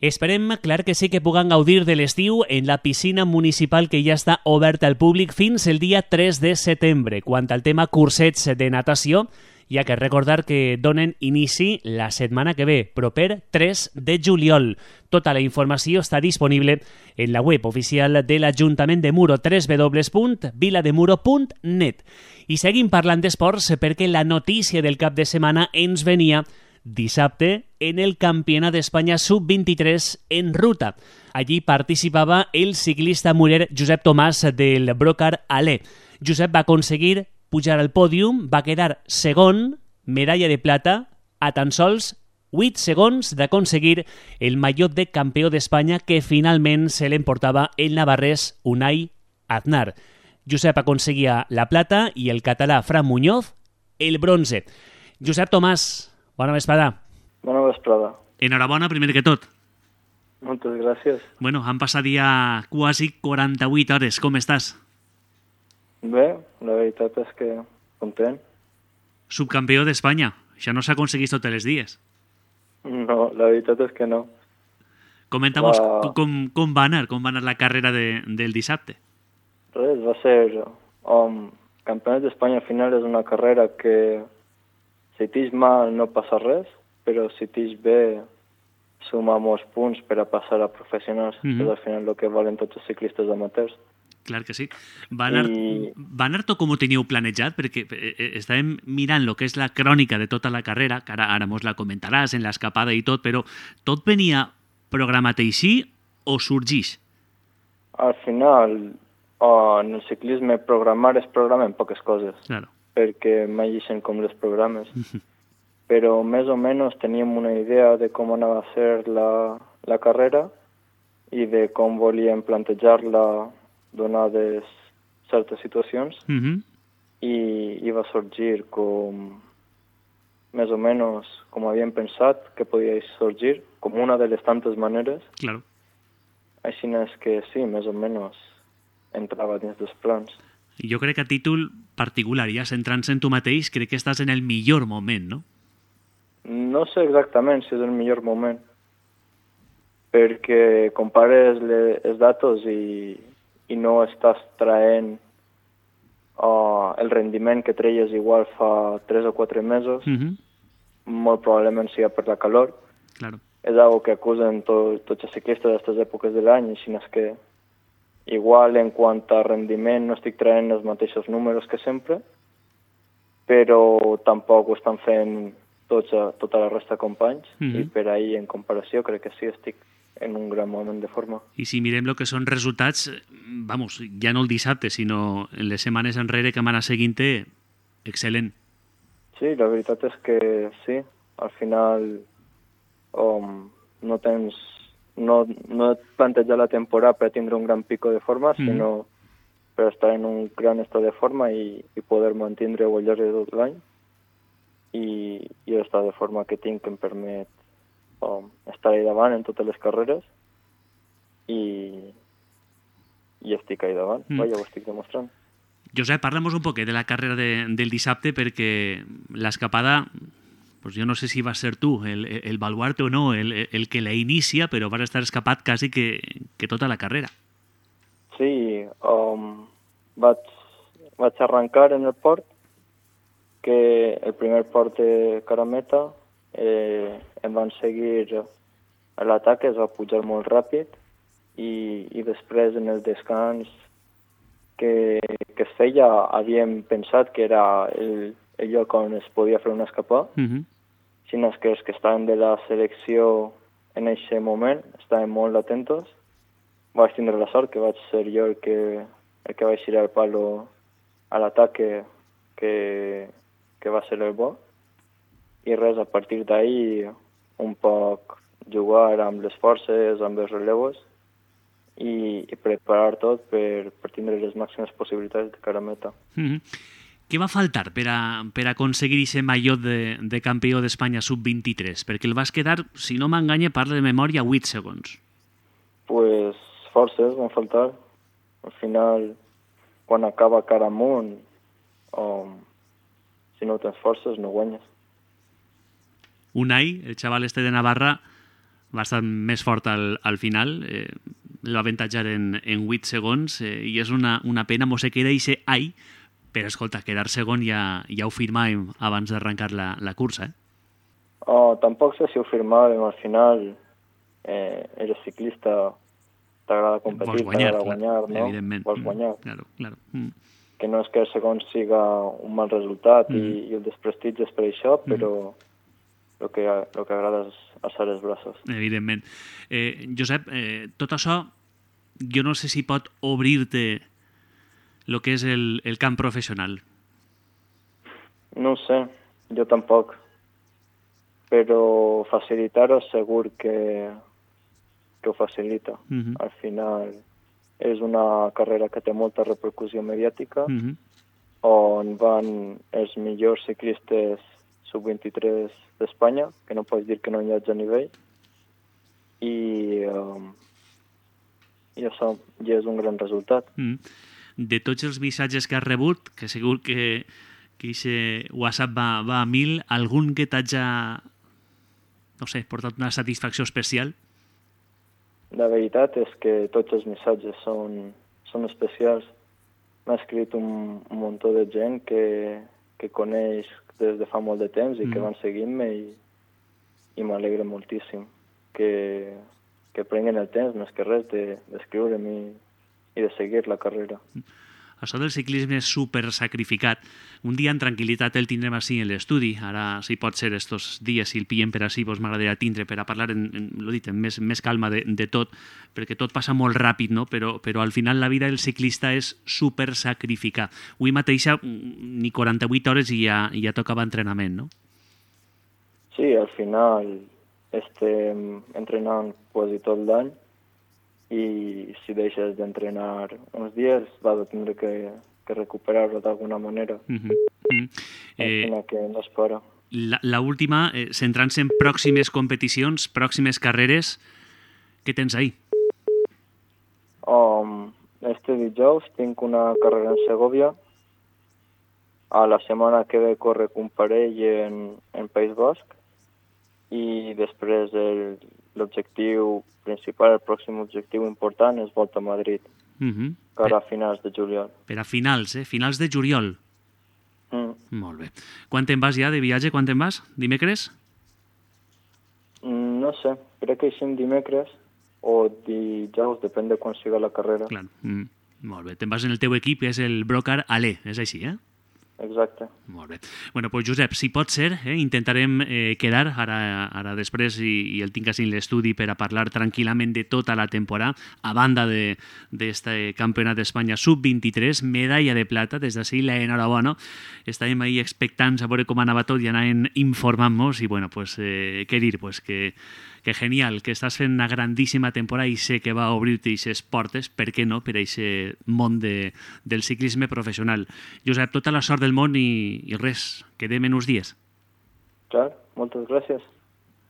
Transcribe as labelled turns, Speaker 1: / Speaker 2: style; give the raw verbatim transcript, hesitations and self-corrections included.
Speaker 1: Esperem, clar que sí, que puguem gaudir de l'estiu en la piscina municipal que ja està oberta al públic fins el dia tres de setembre. Quant al tema cursets de natació, hi ha que recordar que donen inici la setmana que ve, proper tres de juliol. Tota la informació està disponible en la web oficial de l'Ajuntament de Muro, w w w punt vilademuro punt net. I seguim parlant d'esports perquè la notícia del cap de setmana ens venia dissabte en el Campionat d'Espanya sub vint-i-tres en ruta. Allí participava el ciclista murer Josep Tomàs del Brocar Alé. Josep va aconseguir pujar al pòdium, va quedar segon, medalla de plata, a tan sols vuit segons d'aconseguir el mallot de campió d'Espanya que finalment se l'emportava el navarrès Unai Aznar. Josep aconseguia la plata i el català Fran Muñoz el bronze. Josep Tomàs, bona vesprada.
Speaker 2: Bona vesprada.
Speaker 1: Enhorabona, primer que tot.
Speaker 2: Moltes gràcies.
Speaker 1: Bueno, han passat ja quasi quaranta-vuit hores. Com estàs?
Speaker 2: Bé, la veritat és que content.
Speaker 1: Subcampió d'Espanya. Això no s'aconsegueix tots els dies.
Speaker 2: No, la veritat és que no.
Speaker 1: Comenta'm
Speaker 2: Va...
Speaker 1: com, com va anar, com va anar la carrera de, del dissabte.
Speaker 2: Res, va ser... Um, Campionat d'Espanya al final és una carrera que si tix mal no passa res, però si tix bé suma molts punts per a passar a professionals, mm-hmm. que és al final el que valen tots els ciclistes amateurs.
Speaker 1: Clar que sí. Va anar, I... va anar tot com ho teníeu planejat? Perquè estàvem mirant el que és la crònica de tota la carrera, que ara, ara mos la comentaràs en l'escapada i tot, però tot venia programat així o sorgeix?
Speaker 2: Al final, oh, en el ciclisme programar és programar en poques coses,
Speaker 1: claro.
Speaker 2: perquè mai deixen com les programes. Però més o menys teníem una idea de com anava a ser la, la carrera i de com volíem plantejar-la donades certes situacions,
Speaker 1: uh-huh.
Speaker 2: i, i va sorgir com més o menys com havíem pensat que podia sorgir, com una de les tantes maneres.
Speaker 1: Claro.
Speaker 2: Així és que sí, més o menys entrava dins dels plans.
Speaker 1: Jo crec que a títol particular, ja centrant-se en tu mateix, crec que estàs en el millor moment, no?
Speaker 2: No sé exactament si és el millor moment, perquè compares les, els datos i i no estàs traient uh, el rendiment que treies igual fa tres o quatre mesos,
Speaker 1: uh-huh.
Speaker 2: molt probablement sigui per la calor.
Speaker 1: Claro.
Speaker 2: És algo que acusen to, tots els ciclistes d'aquestes èpoques de l'any, així és que igual en quant a rendiment no estic traient els mateixos números que sempre, però tampoc ho estan fent tots, tota la resta de companys, uh-huh. i per ahir en comparació crec que sí estic en un gran moment de forma.
Speaker 1: I si mirem el que són resultats, vamos, ja no el dissabte, sinó en les setmanes enrere que m'han anat seguint-te, excel·lent.
Speaker 2: Sí, la veritat és que sí. Al final um, no tens... No, no et planteja la temporada per tindre un gran pico de forma, mm. sinó per estar en un gran estat de forma i, i poder mantenir-ho al llarg de tot l'any. I, i l'estat de forma que tinc que em permet Um, estar ahí davant en totes les carreres i, i estic ahí davant, mm. ja ho estic demostrant.
Speaker 1: Josep, parla'm un poquet de la carrera de, del dissabte, perquè l'escapada, pues jo no sé si va ser tu el, el baluarte o no, el, el que la inicia, però vas estar escapat quasi que, que tota la carrera.
Speaker 2: Sí, um, vaig, vaig arrencar en el port, que el primer port de Carameta, Eh, em van seguir a l'atac, es va pujar molt ràpid i, i després en el descans que, que es feia havíem pensat que era el, el lloc on es podia fer una escapada,
Speaker 1: uh-huh.
Speaker 2: sinó que els que estaven de la selecció en aquest moment estaven molt atentos. Vaig tindre la sort que vaig ser jo el que, el que vaig tirar el palo a l'atac que, que, que va ser el bo. I res, a partir d'ahir un poc jugar amb les forces, amb els relevos i, i preparar tot per, per tindre les màximes possibilitats de cara a meta.
Speaker 1: Mm-hmm. Què va faltar per a, per a aconseguir aquest mallot de, de campió d'Espanya sub vint-i-tres? Perquè el vas quedar, si no m'enganya, parla de memòria, vuit segons.
Speaker 2: Pues forces van faltar. Al final, quan acaba cara amunt, um, si no tens forces no guanyes.
Speaker 1: Unai, el xaval este de Navarra, bastant més fort al, al final, eh, el va avantatjar en, en vuit segons, eh, i és una, una pena, mos se queda ixe ai, però escolta, quedar segon ja, ja ho firmàvem abans d'arrencar la, la cursa, eh?
Speaker 2: Oh, tampoc sé si ho firmàvem, al final eh, eres ciclista, t'agrada competir, t'agrada guanyar, no?
Speaker 1: Evidentment.
Speaker 2: Vols guanyar.
Speaker 1: Mm, claro, claro. Mm.
Speaker 2: Que no és que el segon siga un mal resultat mm. i, i el desprestigi és per això, però el que, el que agrada és alçar els braços.
Speaker 1: Evidentment. Eh, Josep, eh, tot això jo no sé si pot obrir-te el que és el, el camp professional.
Speaker 2: No ho sé, jo tampoc. Però facilitar-ho segur que, que ho facilita. Mm-hmm. Al final és una carrera que té molta repercussió mediàtica, mm-hmm. on van els millors ciclistes sub vint-i-tres d'Espanya, que no pots dir que no hi hagi a nivell, i, um, i això ja és un gran resultat.
Speaker 1: Mm. De tots els missatges que has rebut, que segur que que aquest WhatsApp va, va a mil, algun que t'hagi, no sé, portat una satisfacció especial?
Speaker 2: La veritat és que tots els missatges són, són especials. M'ha escrit un, un munt de gent que, que coneix des de fa molt de temps i mm. que van seguint-me i, i m'alegra moltíssim que, que prenguen el temps, més que res, d'escriure'm i, i de seguir la carrera.
Speaker 1: Això del ciclisme és super sacrificat. Un dia en tranquil·litat el tindrem així en l'estudi. Ara, si pot ser estos dies, si el pillen per així, doncs m'agradaria tindre per a parlar, en, en, lo dit, en més, més calma de, de tot, perquè tot passa molt ràpid, no? Però, però al final la vida del ciclista és super sacrificar. Avui mateix ni quaranta-vuit hores i ja, ja tocava entrenament, no?
Speaker 2: Sí, al final estem entrenant quasi tot l'any, i si deixes d'entrenar uns dies vas a tindre que, que recuperar-ho d'alguna manera. Mm-hmm. Mm-hmm. Eh, que no es para.
Speaker 1: La, la última, eh, centrant-se en pròximes competicions, pròximes carreres, què tens ahí?
Speaker 2: Um, este dijous tinc una carrera en Segovia. A la setmana que ve corre un parell en, en País Basc i després el, l'objectiu principal, el pròxim objectiu important és Volta a Madrid, mm-hmm. per a finals de juliol.
Speaker 1: Per a finals, eh? Finals de juliol.
Speaker 2: Mm.
Speaker 1: Molt bé. Quan te'n vas ja de viatge? Quan te'n vas? Dimecres?
Speaker 2: Mm, no sé, crec que hi dimecres o dijous, depèn de quan siga la carrera.
Speaker 1: Clar. Mm. Molt bé. Te'n vas en el teu equip, que és el Brocar Alé, és així, eh?
Speaker 2: Exacte.
Speaker 1: Molt bé. Bueno, pues Josep, si pot ser, eh, intentarem eh, quedar ara, ara després i, i el tinc així en l'estudi per a parlar tranquil·lament de tota la temporada, a banda d'este de, campionat d'Espanya sub vint-i-tres, medalla de plata, des d'ací l'enhorabona. Estàvem ahí expectants a veure com anava tot i anàvem informant-nos i, bueno, pues, eh, què dir, pues que que genial, que estàs fent una grandíssima temporada i sé que va obrir-te aquestes portes, per què no, per a aquest món de, del ciclisme professional. Josep, tota la sort del món i, i res, quedem en uns dies.
Speaker 2: Clar, moltes gràcies.